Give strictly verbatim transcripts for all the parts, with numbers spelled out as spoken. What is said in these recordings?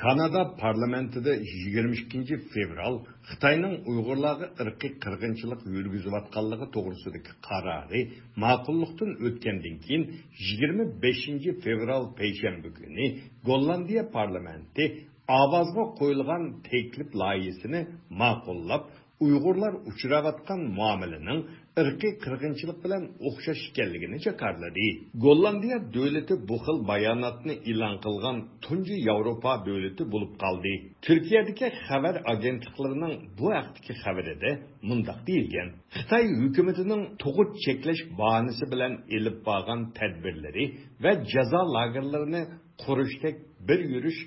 كانادا پارلامېنتىدا يىگىرمە ئىككىنچى فېۋرال خىتاينىڭ ئۇيغۇرلارغا ئىرقىي قىرغىنچىلىق يۈرگۈزۈۋاتقانلىقى توغرىسىدىكى قارارى ماقۇللۇقتىن ئۆتكەندىن كېيىن، يىگىرمە بەشىنچى فېۋرال پەيشەنبە كۈنى گوللاندىيە پارلامېنتى ئاۋازغا قويۇلغان تەكلىپ لايىھىسىنى ماقۇللاپ، ئۇيغۇرلار ئۇچراۋاتقان مۇئامىلىنىڭ ئىرقىي قىرغىنچىلىق بىلەن ئوخشاش ئىكەنلىكىنى جاكارلىدى. گوللاندىيە دۆلىتى بۇ خىل باياناتنى ئېلان قىلغان تۇنجى ياۋروپا دۆلىتى بولۇپ قالدى. تۈركىيەدىكى خەۋەر ئاگېنتلىقلىرىنىڭ بۇ ھەقتىكى خەۋىرىدە مۇنداق دېيىلگەن: خىتاي ھۆكۈمىتىنىڭ تۇغۇت چەكلەش باھانىسى بىلەن ئېلىپ بارغان تەدبىرلىرى ۋە جازا لاگېرلىرىنى قۇرۇشتەك بىر يۈرۈش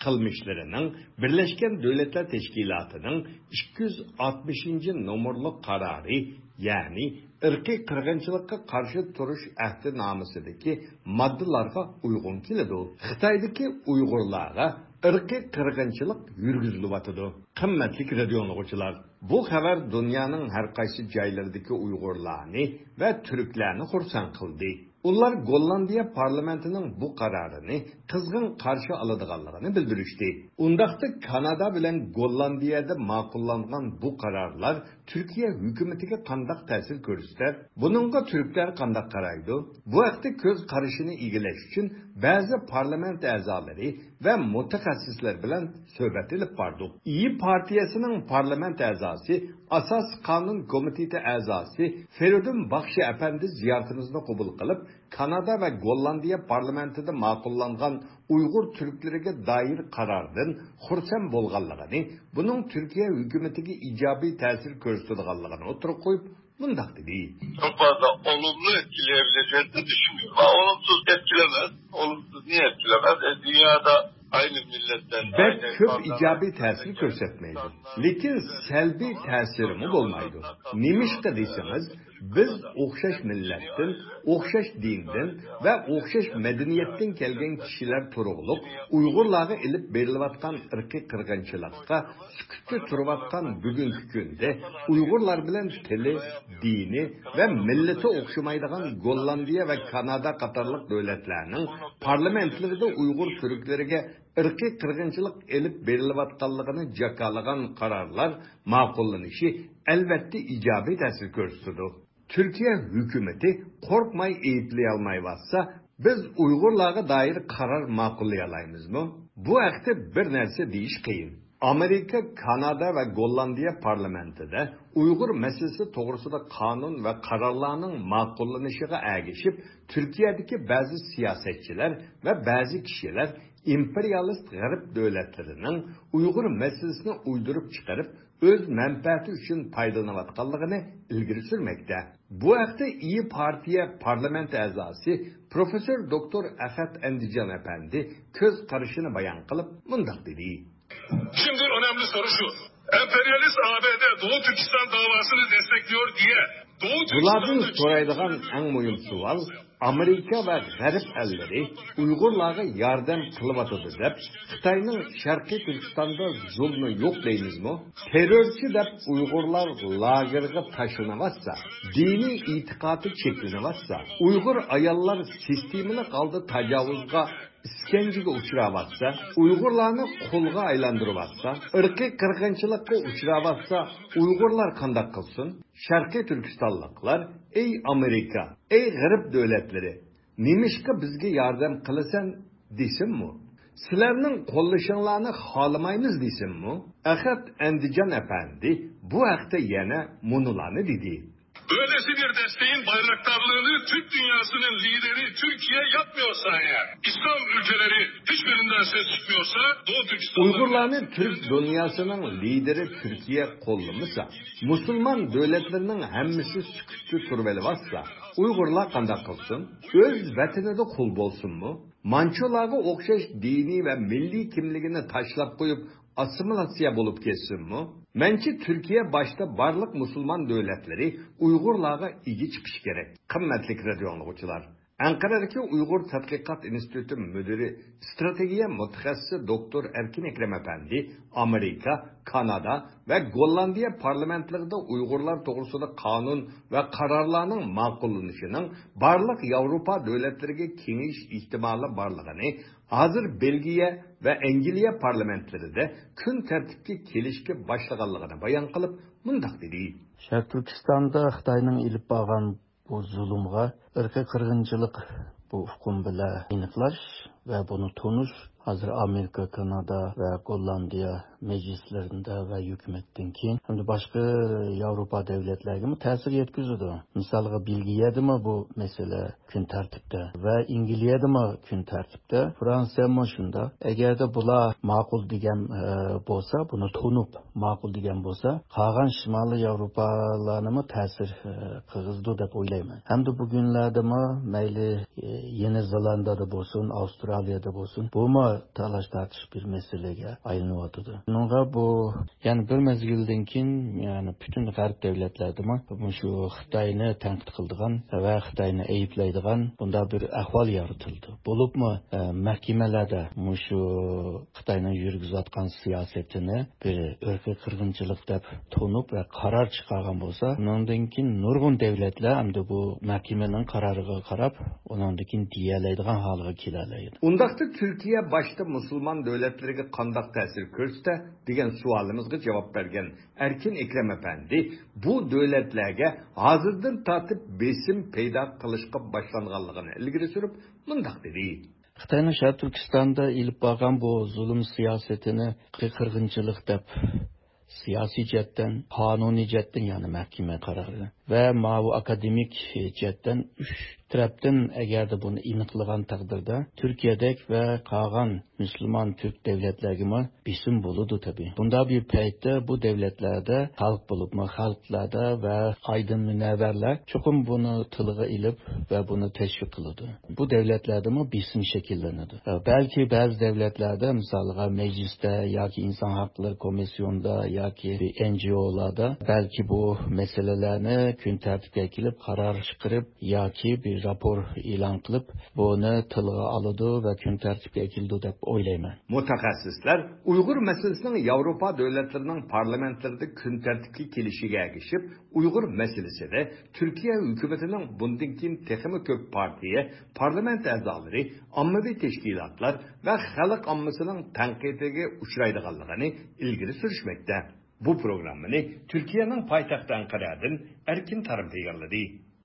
قىلمىشلىرىنىڭ بىرلەشكەن دۆلەتلەر تەشكىلاتىنىڭ ئىككى يۈز ئاتمىشىنچى نومۇرلۇق قارارى، يەنى ئىرقىي قىرغىنچىلىققا قارشى تۇرۇش ئەھدىنامىسىدىكى ماددىلارغا ئۇيغۇن كېلىدۇ. خىتايدىكى ئۇيغۇرلارغا ئىرقىي قىرغىنچىلىق يۈرگۈزۈلۈۋاتىدۇ. قىممەتلىك رادىئو ئاڭلىغۇچىلار، بۇ خەۋەر دۇنيانىڭ ھەر قايسى جايلىرىدىكى ئۇيغۇرلارنى ۋە تۈركلەرنى خۇرسەن قىلدى. ئۇلار گوللاندىيە پارلامېنتىنىڭ بۇ قارارىنى قىزغىن قارشى ئالىدىغانلىقىنى بىلدۈرۈشتى. ئۇنداقتا كانادا بىلەن گوللاندىيەدە ماقۇللانغان بۇ قارارلار تۈركىيە ھۆكۈمىتىگە قانداق تەسىر كۆرسىتەر؟ بۇنىڭغا تۈركلەر قانداق قارايدۇ؟ بۇ ھەقتە كۆز قارىشىنى ئىگىلەش ئۈچۈن بەزى پارلامېنت ئەزالىرى ۋە مۇتەخەسسىسلەر بىلەن سۆھبەت ئېلىپ باردۇق. ئىيى پارتىيەسىنىڭ پارلامېنت ئەزاسى، ئاساسىي قانۇن كومىتېتى ئەزاسى فېرىدۇن باخشى ئەپەندى زىيارىتىمىزنى قوبۇل قىلىپ، كانادا ۋە گوللاندىيە پارلامېنتىدا ماقۇللانغان ئۇيغۇر تۈركلىرىگە دائىر قاراردىن خۇرسەن بولغانلىقىنى، بۇنىڭ تۈركىيە ھۆكۈمىتىگە ئىجابىي تەسىر كۆرسىتىدىغانلىقىنى ئوتتۇرىغا قويۇپ، مۇنداق دېدى. Çok fazla olumlu etkileyebileceğini düşünmüyorum. Ama olumsuz etkilemez. Olumsuz niye etkilemez? E, dünyada aynı milletten, بەك كۆپ ئىجابىي تەسىر كۆرسەتمەيدۇ، لېكىن سەلبىي تەسىرىمۇ بولمايدۇ. نېمىشقا دېسىڭىز، بىز ئوخشاش مىللەتتىن، ئوخشاش دىندىن ۋە ئوخشاش مەدەنىيەتتىن كەلگەن كىشىلەر تۇرۇقلۇق ئۇيغۇرلارغا ئېلىپ بېرىلىۋاتقان ئىرقىي قىرغىنچىلىققا سۈكۈتتە تۇرۇۋاتقان بۈگۈنكى كۈندە ئۇيغۇرلار بىلەن تىلى، دىنى ۋە مىللىتى ئوخشىمايدىغان گوللاندىيە ۋە كانادا قاتارلىق دۆلەتلەرنىڭ پارلامېنتلىرىدا ئۇيغۇر تۈركلىرىگە ئىرقىي قىرغىنچىلىق ئېلىپ بېرىلىۋاتقانلىقىنى جاكارلىغان قارارلار ماقۇللىنىشى ئەلۋەتتە ئىجابىي تەسىر كۆرسىتىدۇ. تۈركىيە ھۆكۈمىتى قورقماي ئەيىبلىيەلمەيۋاتسا، بىز ئۇيغۇرلارغا دائىر قارار ماقۇللىيالايمىزمۇ؟ بۇ ھەقتە بىر نەرسە دېيىش قىيىن. ئامېرىكا، كانادا ۋە گوللاندىيە پارلامېنتىدا ئۇيغۇر مەسىلىسى توغرىسىدا قانۇن ۋە قارارلارنىڭ ماقۇللىنىشىغا ئەگىشىپ، تۈركىيەدىكى بەزى سىياسەتچىلەر ۋە بەزى كىشىلەر ئىمپېرىيالىست غەرب دۆلەتلىرىنىڭ ئۇيغۇر مەسىلىسىنى ئويدۇرۇپ چىقىرىپ، ئۆز مەنپەئەتى ئۈچۈن پايدىلىنىۋاتقانلىقىنى ئىلگىرى سۈرمەكتە. بۇ ھەقتە ئىيى پارتىيە پارلامېنت ئەزاسى پروفېسسور دوكتور ئەخەت ئەندىجان ئەپەندى كۆز قارىشىنى بايان قىلىپ مۇنداق دېدى. Şimdi önemli soru şu. Emperyalist A B D Doğu Türkistan davasını destekliyor diye Doğu بۇلاردىن Türkistan'da سورايدىغان ئەڭ مۇھىم سوئال، ئامېرىكا ۋە غەرب ئەللىرى ئۇيغۇرلارغا ياردەم قىلىۋاتىدۇ دەپ، خىتاينىڭ شەرقىي تۈركىستاندا زۇلمى يوق دەيمىزمۇ؟ تېررورچى دەپ ئۇيغۇرلار لاگېرغا تاشلىنىۋاتسا، دىنىي ئېتىقادى چەكلىنىۋاتسا، ئۇيغۇر ئاياللار سىستېمىلىق ھالدا تاجاۋۇزغا، ئىسكەنجىگە ئۇچراۋاتسا، ئۇيغۇرلارنى قۇلغا ئايلاندۇرۇۋاتسا، ئىرقىي قىرغىنچىلىققا ئۇچراۋاتسا، ئۇيغۇرلار قانداق قىلسۇن؟ شەرقىي تۈركىستانلىقلار، ئەي ئامېرىكا، ئەي غەرب دۆلەتلىرى، نېمىشقا بىزگە ياردەم قىلىسەن دېسۇنمۇ؟ سىلەرنىڭ قوللىشىڭلارنى خالىمايمىز دېسۇنمۇ؟ ئەخەت ئەندىجان ئەپەندى بۇ ھەقتە يەنە مۇنۇلارنى دېدى. Böylesi bir desteğin bayraktarlığını Türk dünyasının lideri Türkiye yapmıyorsa eğer, İslam ülkeleri hiçbirinden ses çıkmıyorsa Doğu Türkistan ئۇيغۇرلارنى تۈرك دۇنياسىنىڭ لىدىرى تۈركىيە قوللىمىسا، مۇسۇلمان دۆلەتلىرىنىڭ ھەممىسى سۈكۈتتە تۇرۇۋېلىۋاتسا، ئۇيغۇرلار قانداق قىلسۇن؟ ئۆز ۋەتىنىدە قۇل بولسۇنمۇ؟ مانچۇلارغا ئوخشاش دىنىي ۋە مىللىي كىملىكىنى تاشلاپ قويۇپ، ئاسسىمىلياتسىيە بولۇپ كەتسۇنمۇ؟ مەنچە، تۈركىيە باشتا بارلىق مۇسۇلمان دۆلەتلىرى ئۇيغۇرلارغا ئىگە چىقىشى كېرەك. قىممەتلىك رادىئو ئاڭلىغۇچىلار! ئەنقەرەدىكى ئۇيغۇر تەتقىقات ئىنستىتۇتى مۇدىرى، ئىستراتېگىيە مۇتەخەسسىسى دوكتور ئەركىن ئەكرەم ئەپەندى ئامېرىكا، كانادا ۋە گوللاندىيە پارلامېنتلىرىدا ئۇيغۇرلار توغرىسىدا قانۇن ۋە قارارلارنىڭ ماقۇللىنىشىنىڭ بارلىق ياۋروپا دۆلەتلىرىگە كېڭىيىش ئېھتىمالى بارلىقىنى ھازىر بېلگىيە ۋە ئەنگلىيە پارلامېنتلىرىدە كۈن تەرتىپكە كېلىشكە باشلىغانلىقىنى بايان قىلىپ، مۇنداق دېدى. شەرقىي تۈركىستاندا خىتاينىڭ ئېلىپ بارغان بۇ زۇلۇمغا ئىرقىي قىرغىنچىلىق بۇ ئۇقۇم بىلەن ئېنىقلاش ۋە بۇنى تونۇش ھازىر ئامېرىكا، كانادا ۋە گوللاندىيە مەجلىسلىرىدە ۋە ھۆكۈمەتتىن كېيىن ھەمدە باشقا ياۋروپا دۆلەتلەرگىمۇ تەسىر يەتكۈزىدۇ. مىسالغا، بېلگىيەدىمۇ بۇ مەسىلە كۈن تەرتىپتە ۋە ئەنگلىيەدىمۇ كۈن تەرتىپتە، فرانسىيەمۇ شۇنداق. ئەگەردە بۇلار ماقۇل دېگەن، ئە، بولسا، بۇنى تونۇپ ماقۇل دېگەن بولسا، قالغان شىمالىي ياۋروپالارنىمۇ تەسىر، ئە، قىلغۇزىدۇ دەپ ئويلايمەن. ھەمدە بۈگۈنلەردىمۇ مەيلى، ئە، يېڭى زېلاندىيەدە بولسۇن، ئاۋسترالىيەدە بولسۇن، بۇمۇ تالاش تارتىش بىر مەسىلىگە ئايلىنىۋاتىدۇ. بۇنىڭغا بۇ، يەنى بىر مەزگىلدىن كېيىن، يەنى پۈتۈن غەرب دۆلەتلەردىمۇ مۇشۇ خىتاينى تەنقىد قىلىدىغان ۋە خىتاينى ئەيىبلەيدىغان بۇنداق بىر ئەھۋال يارىتىلدى. بولۇپمۇ، ئە، مەھكىمىلەردە مۇشۇ خىتاينىڭ يۈرگۈزۈۋاتقان سىياسىتىنى بىر ئىرقىي قىرغىنچىلىق دەپ تونۇپ ۋە قارار چىقارغان بولسا، ئۇنىڭدىن كېيىن نۇرغۇن دۆلەتلەر ئەمدى بۇ مەھكىمىنىڭ قارارىغا قاراپ، ئۇنىڭدىن كېيىن دېيەلەيدىغان ھالغا كېلەلەيدۇ. ئۇنداقتا تۈركىيە باشتا مۇسۇلمان دۆلەتلىرىگە قانداق تەسىر كۆرسىتە دېگەن سوئالىمىزغا جاۋاب بەرگەن ئەركىن ئەكرەم ئەپەندى بۇ دۆلەتلەرگە ھازىردىن تارتىپ بېسىم پەيدا قىلىشقا باشلانغانلىقىنى ئىلگىرى سۈرۈپ، مۇنداق دېدى. خىتاينىڭ شەرقىي تۈركىستاندا ئېلىپ بارغان بۇ زۇلۇم سىياسىتىنى قىرغىنچىلىق دەپ، سىياسىي جەھەتتىن، قانۇنىي جەھەتتىن، يەنى مەھكىمە قارارى ۋە ماۋۇ ئاكادېمىك جەھەتتىن ئۈچ تەرەپتىن ئەگەردە بۇنى ئېنىقلىغان تەقدىردە، تۈركىيەدەك ۋە قالغان مۇسۇلمان تۈرك دۆلەتلەرگىمۇ بېسىم بولىدۇ تەبىئىي. بۇنداق بىر پەيتتە بۇ دۆلەتلەردە خەلق بولۇپمۇ خەلقلەردە ۋە ئايدىن مۇنەۋۋەرلەر چوقۇم بۇنى تىلغا ئېلىپ ۋە بۇنى تەشۋىق قىلىدۇ. بۇ دۆلەتلەردىمۇ بېسىم شەكىللىنىدۇ. بەلكى بەزى دۆلەتلەردە، مىسالغا، مەجلىستە ياكى ئىنسان ھەقلىرى كومىسسىيونىدا ياكى ئېن جى ئولاردا بەلكى بۇ مەسىلىلەرنى كۈن تەرتىپكە كېلىپ قارار چىقىرىپ ياكى بىر راپور ئېلان قىلىپ، بۇنى تىلغا ئالىدۇ ۋە كۈن تەرتىپكە ئەكېلىدۇ دەپ ئويلايمەن. مۇتەخەسسىسلەر ئۇيغۇر مەسىلىسىنىڭ ياۋروپا دۆلەتلىرىنىڭ پارلامېنتلىرىدا كۈن تەرتىپكە كېلىشىگە ئەگىشىپ، ئۇيغۇر مەسىلىسىدە تۈركىيە ھۆكۈمىتىنىڭ بۇندىن كېيىن تېخىمۇ كۆپ پارتىيە، پارلامېنت ئەزالىرى، ئاممىۋى تەشكىلاتلار ۋە خەلق ئاممىسىنىڭ تەنقىدىگە ئۇچرايدىغانلىقىنى ئىلگىرى سۈرۈشمەكتە. بۇ پروگراممىنى تۈركىيەنىڭ پايتەختى ئەنقەرەدىن ئەركىن تارىم تەييارلىدى.